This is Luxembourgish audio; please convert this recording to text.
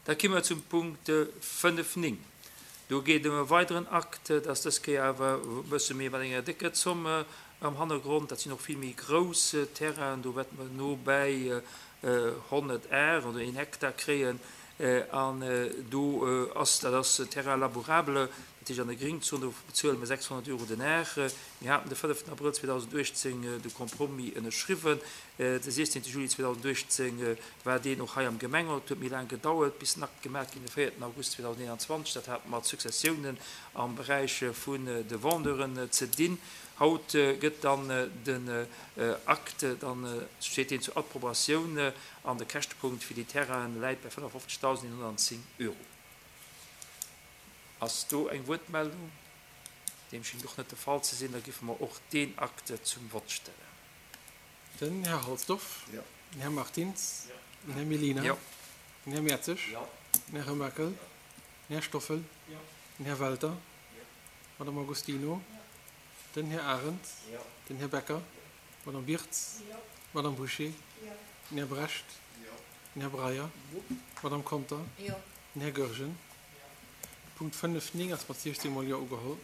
Da ki mer zum Punkt 5, 9. Do geet et ëm e weideren Akt, dat ass dës Kéier awer e bësse méi mat enger décker Zomm am Hannergrond. Dat sinn och vill méi grouss Terrainen, do wäerte mer no bäi 100 Ar oder een Hektar kréien. An do ass, dat ass Terrain labourable, dat heescht an der Gringzon, do bezuele mer 600 Euro den Ar. Mir haten de 5 Abrëll 2018 de Compromis ënnerschriwwen. De 16 Juli 2018 war deen och hei am Gemengerot. Et huet méi laang gedauert, bis den Akt gemaach ginn, de 4 August 2021. Dat hat mat Successiounen am Beräich vun de Vendeuren ze dinn. Haut gëtt dann den Akt, dann steet deen zur Approbatioun an de Käschtepunkt fir déi Terrainen läit bei 55.110 Euro. Ass do eng Wuertmeldung? Deem schéngt och net de Fall ze sinn. Da giffe mer och deen Akt zum Vott stellen. Den Här Halsdorf. Den Här Martins. Den Här Mellina. Den Här Mertzig. Den Här Remakel. Den Här Stoffel. Den Här Welter. D'Madame Agostino. Den Här Arendt. Den Här Becker. D'Madame Birtz. D'Madame Bouché. Den Här Brecht. Den Här Breyer. D'Madame Conter. Den Här Goergen. Punkt 5, 9 ass mat 16 mol Jo ugeholl.